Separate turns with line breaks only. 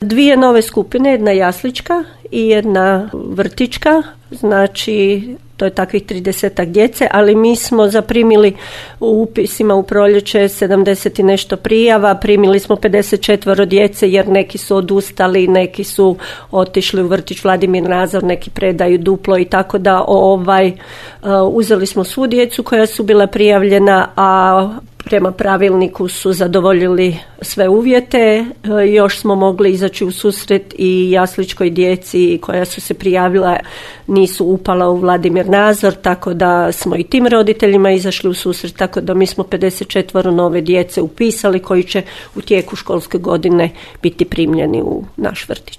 2 nove skupine, jedna jaslička i jedna vrtićka, znači to je takvih 30 djece, ali mi smo zaprimili u upisima u proljeće 70 i nešto prijava, primili smo 54 djece jer neki su odustali, neki su otišli u vrtić Vladimir Nazor, neki predaju duplo i tako da uzeli smo svu djecu koja su bila prijavljena, a prema pravilniku su zadovoljili sve uvjete. Još smo mogli izaći u susret i jasličkoj djeci koja su se prijavila, nisu upala u Vladimir Nazor, tako da smo i tim roditeljima izašli u susret, tako da mi smo 54 nove djece upisali koji će u tijeku školske godine biti primljeni u naš vrtić.